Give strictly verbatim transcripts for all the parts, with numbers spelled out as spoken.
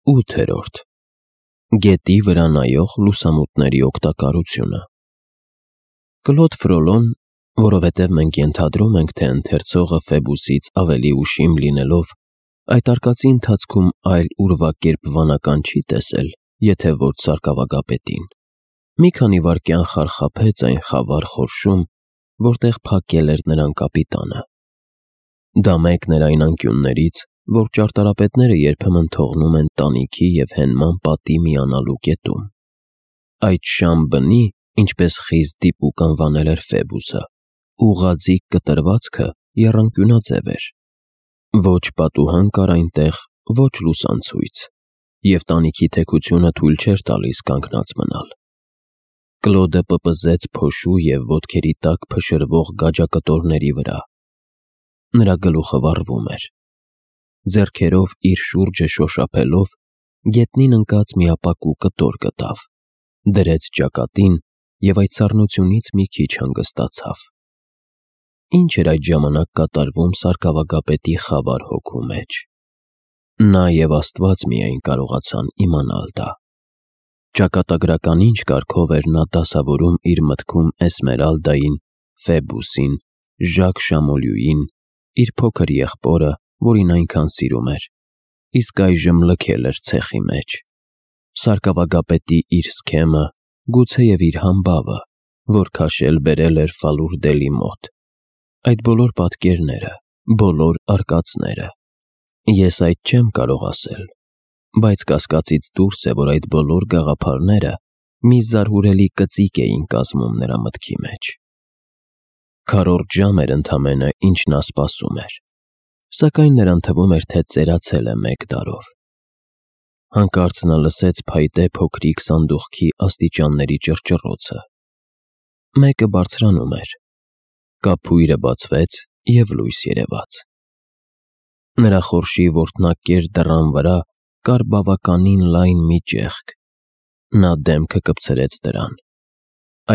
Ութերորդ Գետի վրա նայող լուսամուտների օգտակարությունը։ Կլոդ Ֆրոլոն, որովհետև մենք ենթադրում ենք, թե ընթերցողը Ֆեբուսից ավելի ուշիմ լինելով, այդ արկածի ընթացքում այլ ուրվագերպ վանական չի տեսել, եթե ոչ սարկավագապետին, մի քանի վայրկյան խարխափեց այն խավար խորշում, որտեղ փակել էր նրան կապիտանը։ Դա մեկն էր այն անկյուններից, որ ճարտարապետները երբեմն թողնում են տանիքի և հենման պատի միանալու կետում։ Այդ շամ բնի, ինչպես խիստ դիպուկ անվանել էր Ֆեբուսը, ուղղաձիգ կտրվածքը եռանկյունաձև էր։ Ոչ պատուհան կար այնտեղ, ոչ լուսանցույց, և տանիքի թեքությունը թույլ չէր տալիս կանգնած մնալ։ Կլոդը պպզեց փոշու և ոտքերի տակ փշրվող գաջակտորների վրա։ Նրա գլուխը վառվում էր։ Ձեռքերով իր շուրջը շոշափելով, գետնին ընկած մի ապակու կտոր գտավ, դրեց ճակատին և այդ սառնությունից մի քիչ հանգստացավ։ Ինչ էր այդ ժամանակ կատարվում սարկավագապետի խավար հոգու մեջ։ Նա և Աստված միայն կարողացան իմանալ դա։ Ճակատագրական ինչ կարգով էր նա դասավորում իր մտքում Էսմերալդային, Ֆեբուսին, Ժակ Շամոլյուին, իր փոքր եղբորը, որին այնքան սիրում էր, իսկ այժմ լքել էր ցեխի մեջ, սարկավագապետի իր սքեմը, գուցեև իր համբավը, որ քաշել բերել էր Ֆալուրդելի մոտ, այդ բոլոր պատկերները, բոլոր արկածները։ Ես այդ չեմ կարող ասել, բայց կասկածից դուրս է, որ այդ բոլոր գաղափարները մի զարհուրելի կծիկ էին կազմում նրա մտքի մեջ։ Քառորդ ժամ էր ընդամենը, ինչ նա սպասում էր, սակայն նրան թվում էր, թե ծերացել է մեկ տարով։ Հանկարծ նա լսեց փայտե փոքրիկ սանդուղքի աստիճանների ճռճռոցը։ Մեկը բարձրանում էր։ Կափույրը բացվեց և լույս երևաց։ Նրա խորշի որտնակեր դռան վրա կար բավականին լայն մի ճեղք։ Նա դեմքը կպցրեց դրան։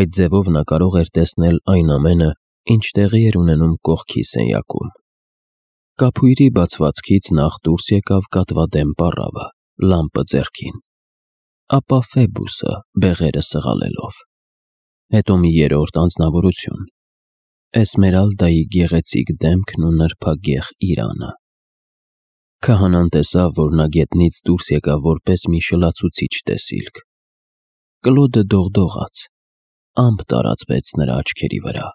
Այդ ձևով նա կարող էր տեսնել այն ամենը, ինչ տեղի էր ունենում կողքի սենյակում։ Կափույրի բացվածքից նախ դուրս եկավ կատվադեմ պառավը, լամպը ձեռքին, ապա Ֆեբուսը բեղերը սղալելով, հետո մի երրորդ անձնավորություն՝ Էսմերալդայի գեղեցիկ դեմքն ու նրբագեղ իրանը։ Քահանան տեսավ, որ նա գետնից դուրս եկավ որպես մի շլացուցիչ տեսիլք։ Կլոդը դողդողաց, ամպ տարածվեց նրա աչքերի վրա։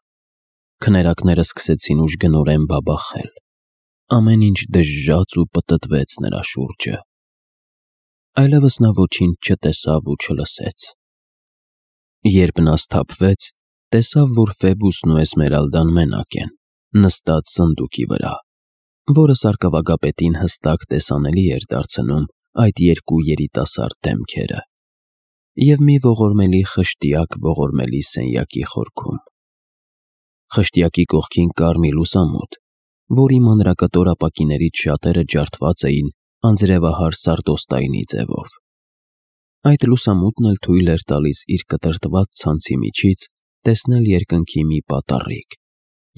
Քներակները սկսեցին ուժգնորեն բաբախել։ Ամեն ինչ դժժաց ու պտտվեց նրա շուրջը։ Այլևս նա ոչինչ չտեսավ ու չլսեց։ Երբ նա սթափվեց, տեսավ, որ Ֆեբուսն ու Էսմերալդան մենակ են, նստած սնդուկի վրա, որը սարկավագապետին հստակ տեսանելի էր դարձնում այդ երկու երիտասարդ դեմքերը, և մի ողորմելի խշտիակ ողորմելի սենյակի խորքում։ Խշտիակի կողքին կար մի լուսամուտ, որի մանրակտոր ապակիներից շատերը ջարդված էին անձրևահար սարդոստայնի ձևով։ Այդ լուսամուտն էլ թույլ էր տալիս իր կտրտված ցանցի միջից տեսնել երկնքի մի պատառիկ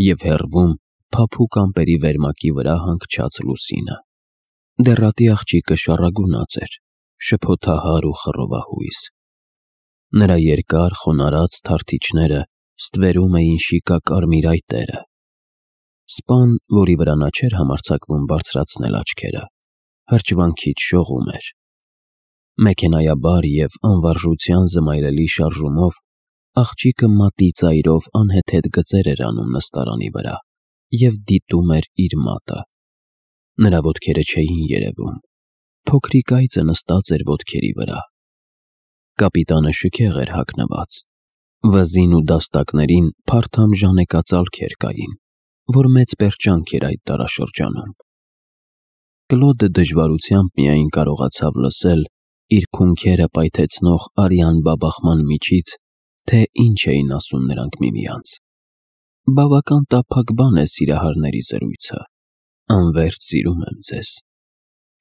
և հեռվում փափուկ ամպերի վերմակի վրա հանգչած լուսինը։ Դեռատի աղջիկը շառագունած էր, շփոթահար ու խռովահույս։ Նրա երկար խոնարհած թարթիչները ստվերում էին շիկակարմիր այտերը։ Սպան, որի վրա նա չէր համարձակվում բարձրացնել աչքերը, հրճվանքից շողում էր։ Մեքենայաբար և անվարժության զմայրելի շարժումով աղջիկը մատի ծայրով անհեթեթ գծեր էր անում նստարանի վրա և դիտում էր իր մատը։ Նրա ոտքերը չէին երևում, փոքրիկ այծը նստած էր ոտքերի վրա։ Կապիտանը շքեղ էր հագնված։ Վզին ու դաստակներին փարթամ ժանեկածալքեր կային, որ մեծ պերճանք էր այդ դարաշրջանում։ Կլոդը դժվարությամբ միայն կարողացավ լսել իր քունքերը պայթեցնող արյան բաբախման միջից, թե ինչ էին ասում նրանք միմյանց։ Բավական տափակ բան է սիրահարների զրույցը. «Անվերջ սիրում եմ ձեզ»,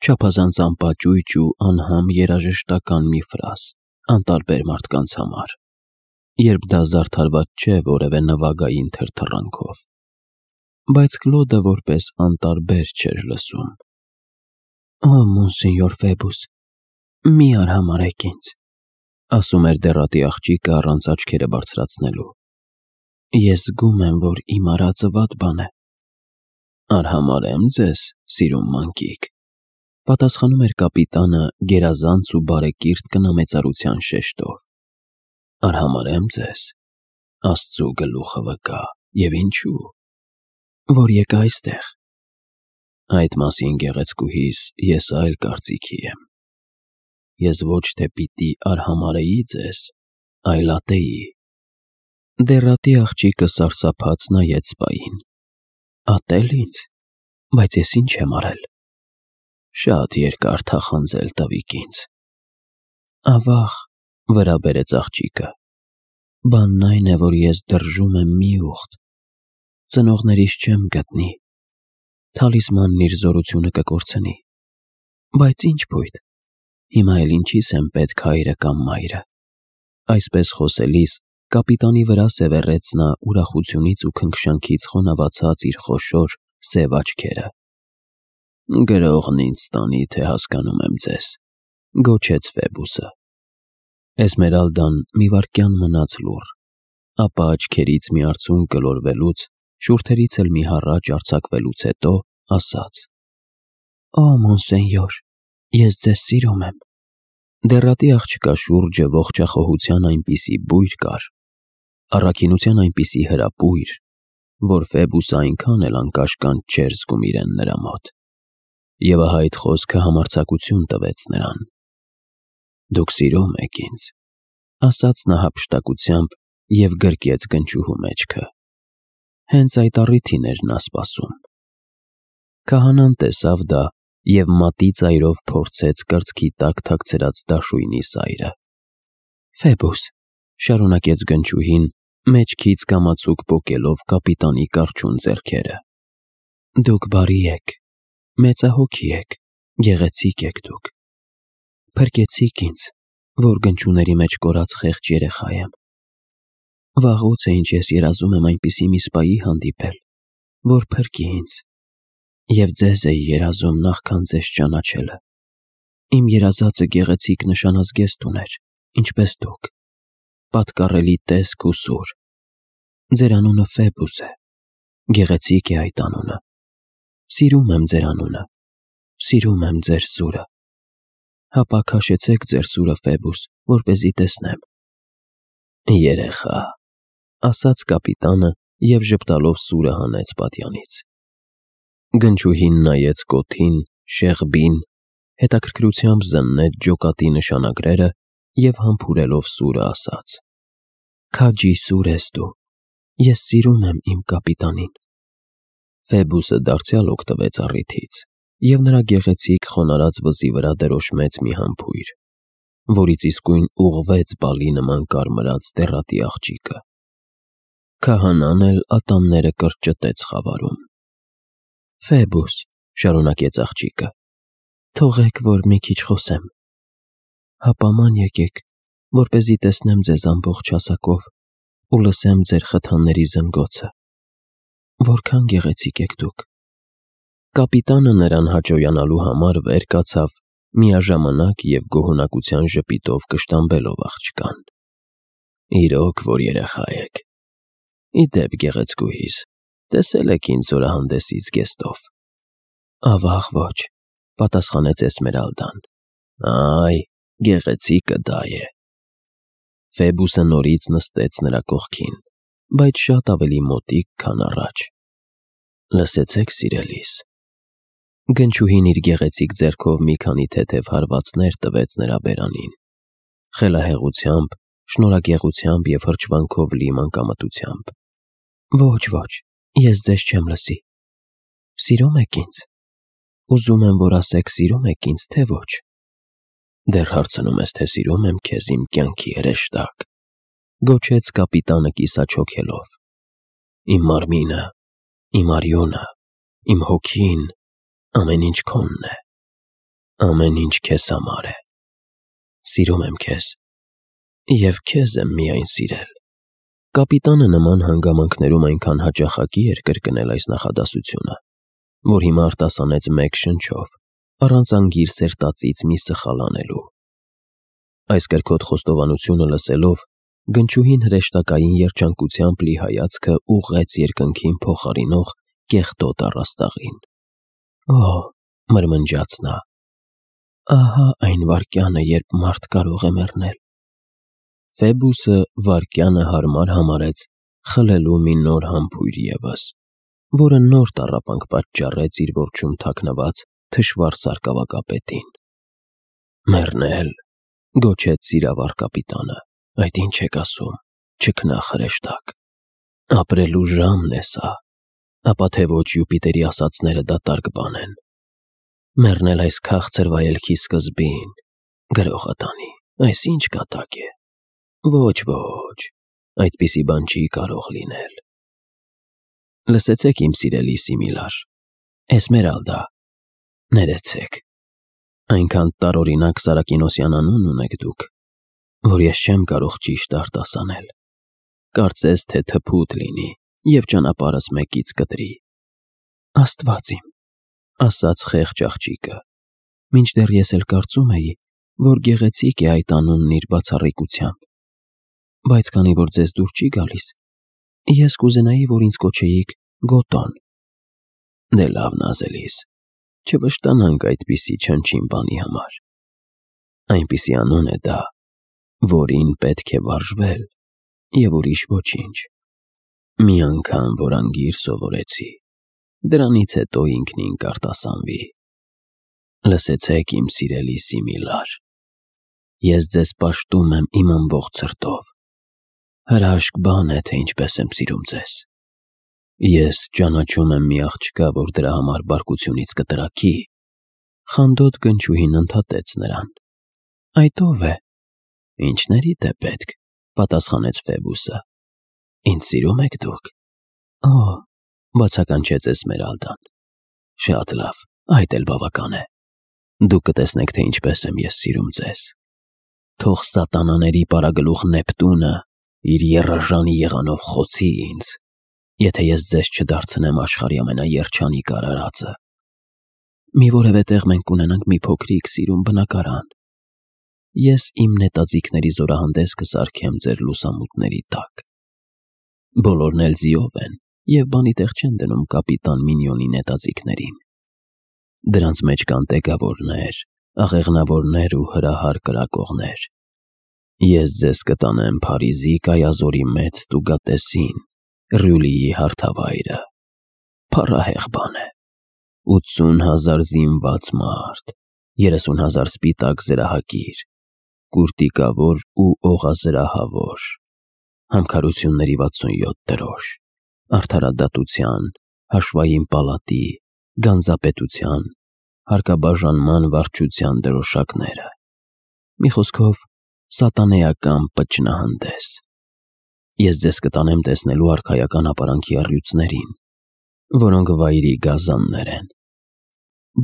չափազանց անպաճույճ ու անհամ երաժշտական մի ֆրազ անտարբեր մարդկանց համար, երբ դա զարդարված չէ որևէ նվագային թրթռանքով։ Բայց Կլոդը որպես անտարբեր չէր լսում։ «Օ, մոնսենյոր Ֆեբուս, Մի արհամարհեք ինձ, ասում էր դեռատի աղջիկը առանց աչքերը բարձրացնելու։ Ես զգում եմ, որ իմ արածը վատ բան է։ Արհամարհեմ ձեզ, սիրուն մանկիկ, պատասխանում էր կապիտանը գերազանց ու բարեկիրթ կնամեծարության շեշտով։ Արհամարհեմ ձեզ, Աստծու գլուխը վկա, եւ ինչու, որ եկա այստեղ։ Այդ մասին գեղեցկուհիս ես այլ կարծիքի եմ։ Ես ոչ թե պիտի արհամարհեի ձեզ, այլ ատեի։ Դեռատի աղջիկը սարսափած նայեց սպային։ Ատել ինձ, բայց ես ինչ եմ արել։ Շատ երկար թախանձել տվիք ինձ։ Ավաղ, վրա բերեց աղջիկը։ Բանն այն է, որ ես դրժում եմ մի ուղտ։ Ծնողներիս չեմ գտնի։ Թալիսմանն իր զորությունը կկորցնի։ Բայց ինչ փույթ։ Հիմա էլ ինչիս եմ պետք հայրը կամ մայրը։ Այսպես խոսելիս կապիտանի վրա սևեռեց նա ուրախությունից ու քնքշանքից խոնավացած իր խոշոր սև աչքերը։ Գրողն ինձ տանի, թե հասկանում եմ ձեզ, գոչեց Ֆեբուսը։ Էսմերալդան մի վայրկյան մնաց լուռ, ապա աչքերից մի արցունք գլորվելուց, շուրթերից էլ մի հառաչ արձակվելուց հետո ասաց. Օ, մոնսենյոր, ես ձեզ սիրում եմ։ Դեռատի աղջկա շուրջը ողջախոհության այնպիսի բույր կար, առաքինության այնպիսի հրապույր, որ Ֆեբուսը այնքան էլ անկաշկանդ չէր զգում իրեն նրա մոտ։ Եվ ահա այդ խոսքը համարձակություն տվեց նրան։ Դուք սիրում եք ինձ, ասաց նա հափշտակությամբ և գրկեց գնչուհու մեջքը։ Հենց այդ առիթին էր նա սպասում։ Քահանան տեսավ դա և մատի ծայրով փորձեց կրծքի տակ թաքցրած դաշույնի սայրը։ Ֆեբուս, շարունակեց գնչուհին, մեջքից կամացուկ պոկելով կապիտանի կառչուն ձեռքերը։ Դուք բարի եք, մեծահոգի եք, գեղեցիկ եք դուք։ Փրկեցիք ինձ, որ գնչուների մեջ կորած խեղճ երեխա եմ։ Վաղուց է ինչ ես երազում եմ այնպիսի մի սպայի հանդիպել, որ փրկի ինձ, և ձեզ էի երազում նախքան ձեզ ճանաչելը։ Իմ երազածը գեղեցիկ նշանազգեստ ուներ, ինչպես դուք, պատկառելի տեսք ու սուր։ Ձեր անունը Ֆեբուս է, գեղեցիկ է այդ անունը։ Սիրում եմ ձեր անունը, սիրում եմ ձեր սուրը։ Հապա քաշեցեք ձեր սուրը, Ֆեբուս, որպեսզի տեսնեմ։ Երեխա, ասաց կապիտանը և ժպտալով սուրը հանեց պատյանից։ Գնչուհին նայեց կոթին, շեղբին, հետաքրքրությամբ զննեց ջոկատի նշանագրերը և համբուրելով սուրը ասաց. Քաջի սուր ես դու, ես սիրում եմ իմ կապիտանին։ Ֆեբուսը դարձյալ օգտվեց առիթից և նրա գեղեցիկ խոնարհած վզի վրա դրոշմեց մի համբույր, որից իսկույն ուղղվեց բալի նման կարմրած դեռատի աղջիկը։ Քահանան էլ ատամները կրճտեց խավարում։ Ֆեբուս, շարունակեց աղջիկը, թողեք, որ մի քիչ խոսեմ։ Հապա ման եկեք, որպեսզի տեսնեմ ձեզ ամբողջ հասակով ու լսեմ ձեր խթանների զնգոցը։ Որքան գեղեցիկ եք դուք։ Կապիտանը նրան հաճոյանալու համար վեր կացավ, միաժամանակ և գոհունակության ժպիտով կշտամբելով աղջկան։ Իրոք, որ երեխա եք։ Ի դեպ, գեղեցկուհիս, տեսել եք ինձ զորահանդեսի զգեստով։ Ավաղ ոչ, պատասխանեց Էսմերալդան։ Այ, գեղեցիկը դա է։ Ֆեբուսը նորից նստեց նրա կողքին, բայց շատ ավելի մոտիկ, քան առաջ։ Լսեցեք, սիրելիս։ Գնչուհին իր գեղեցիկ ձեռքով մի քանի թեթև հարվածներ տվեց նրա բերանին, խելահեղությամբ, շնորհագեղությամբ և հրճվանքով լի մանկամտությամբ։ Ոչ, ոչ, ես ձեզ չեմ լսի։ Սիրում եք ինձ։ Ուզում եմ, որ ասեք, սիրում եք ինձ, թե ոչ։ Դեռ հարցնում ես, թե սիրում եմ քեզ, իմ կյանքի հրեշտակ, գոչեց կապիտանը կիսաչոքելով։ Իմ մարմինը, իմ արյունը, իմ հոգին, ամեն ինչ քոնն է, ամեն ինչ քեզ համար է։ Սիրում եմ քեզ և քեզ եմ միայն սիրել։ Կապիտանը նման հանգամանքներում այնքան հաճախակի էր կրկնել այս նախադասությունը, որ հիմա արտասանեց մեկ շնչով, առանց անգիր սերտածից մի սխալ անելու։ Այս կրքոտ խոստովանությունը լսելով, գնչուհին հրեշտակային երջանկությամբ լի հայացքը ուղղեց երկնքին փոխարինող կեղտոտ առաստաղին։ «Օ՜», մրմնջաց նա, «ահա այն վայրկյանը, երբ մարդ կարող է մեռնել»։ Ֆեբուսը վայրկյանը հարմար համարեց խլելու մի նոր համբույր ևս, որը նոր տառապանք պատճառեց իր որջում թաքնված թշվառ սարկավակապետին։ «Մեռնել», գոչեց սիրավար կապիտանը, «այդ ինչ եք ասում, չքնաղ հրեշտակ, ապրելու ժամն է սա, ապա թե ոչ Յուպիտերի ասածները դատարկ բան են։ Մեռնել այս քաղցր վայելքի սկզբին, գրողատանի, այս ինչ կատակ է։ Ոչ, ոչ, այդպիսի բան չի կարող լինել»։ «Լսեցեք, իմ սիրելի Սիմիլար, Էսմերալդա, ներեցեք, այնքան տարօրինակ Սարակինոսյան անուն ունեք դուք, որ ես չեմ կարող ճիշտ արտասանել։ Կարծես թե թփուտ լինի և ճանապարհս մեկից կտրի»։ «Աստված իմ», ասաց խեղճ աղջիկը, «մինչդեռ ես էլ կարծում էի, որ գեղեցիկ է այդ անունն իր բացառիկությամբ, բայց քանի որ ձեզ դուր չի գալիս, ես կուզենայի, որ ինձ կոչեիք Գոտոն»։ «Դե լավ, նազելիս, չվշտանանք այդպիսի չնչին բանի համար։ Այնպիսի անուն է դա, որին պետք է վարժվել, և ուրիշ ոչինչ։ Մի անգամ որ անգիր սովորեցի, դրանից հետո ինքնին կարտասանվի։ Լսեցեք, իմ սիրելի Սիմիլար, ես ձեզ պաշտում եմ իմ ամբողջ սրտով։ Հրաշք բան է, թե ինչպես եմ սիրում ձեզ։ Ես ճանաչում եմ մի աղջկա, որ դրա համար բարկությունից կտրաքի»։ Խանդոտ գնչուհին ընդհատեց նրան։ «Այդ ո՞վ է»։ «Ինչներիդ է պետք», պատասխանեց Ֆեբուսը։ «Ինձ սիրում եք դուք»։ «Օ», բացականչեց Էսմերալդան, «շատ լավ, այդ էլ բավական է։ Դուք կտեսնեք, թե ինչպես եմ ես սիրում ձեզ։ Թող սատանաների պարագլուխ Նեպտունը իր եռաժանի եղանով խոցի ինձ, եթե ես ձեզ չդարձնեմ աշխարհի ամենաերջանիկ արարածը։ Մի որևէ տեղ մենք կունենանք մի փոքրիկ սիրուն բնակարան։ Ես իմ նետաձիգների զորահանդես կսարքեմ ձեր լուսամուտների տակ։ Բոլորն էլ ձիով են և բանի տեղ չեն դնում կապիտան Մինյոնի նետաձիգներին։ Դրանց մեջ կան տեգավորներ, աղեղնավորներ ու հրահար կրակողներ։ Ես ձեզ կտանեմ Փարիզի կայազորի մեծ տուգատեսին, Ռյուլիի հարթավայրը։ Փառահեղ բան է։ ութսուն հազար զինված մարդ, երեսուն հազար սպիտակ զրահակիր, կուրտիկավոր ու օղազրահավոր, համքարությունների վաթսունյոթ դրոշ, արդարադատության, հաշվային պալատի, գանձապետության, հարկաբաժանման վարչության դրոշակները։ Մի խոսքով, սատանեական պճնահանդես։ Ես ձեզ կտանեմ տեսնելու արքայական ապարանքի առյուծներին, որոնք վայրի գազաններ են։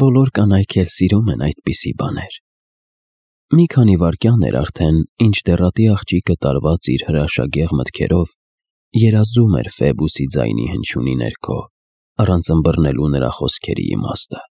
Բոլոր կանայք էլ սիրում են այդպիսի բաներ։ Մի քանի վայրկյան էր արդեն, ինչ դեռատի աղջիկը տարված իր հրաշագեղ մտքերով երազում էր Ֆեբուսի ձայնի հնչյունի ներքո, առանց ըմբռնելու նրա խոսքերի իմաստը։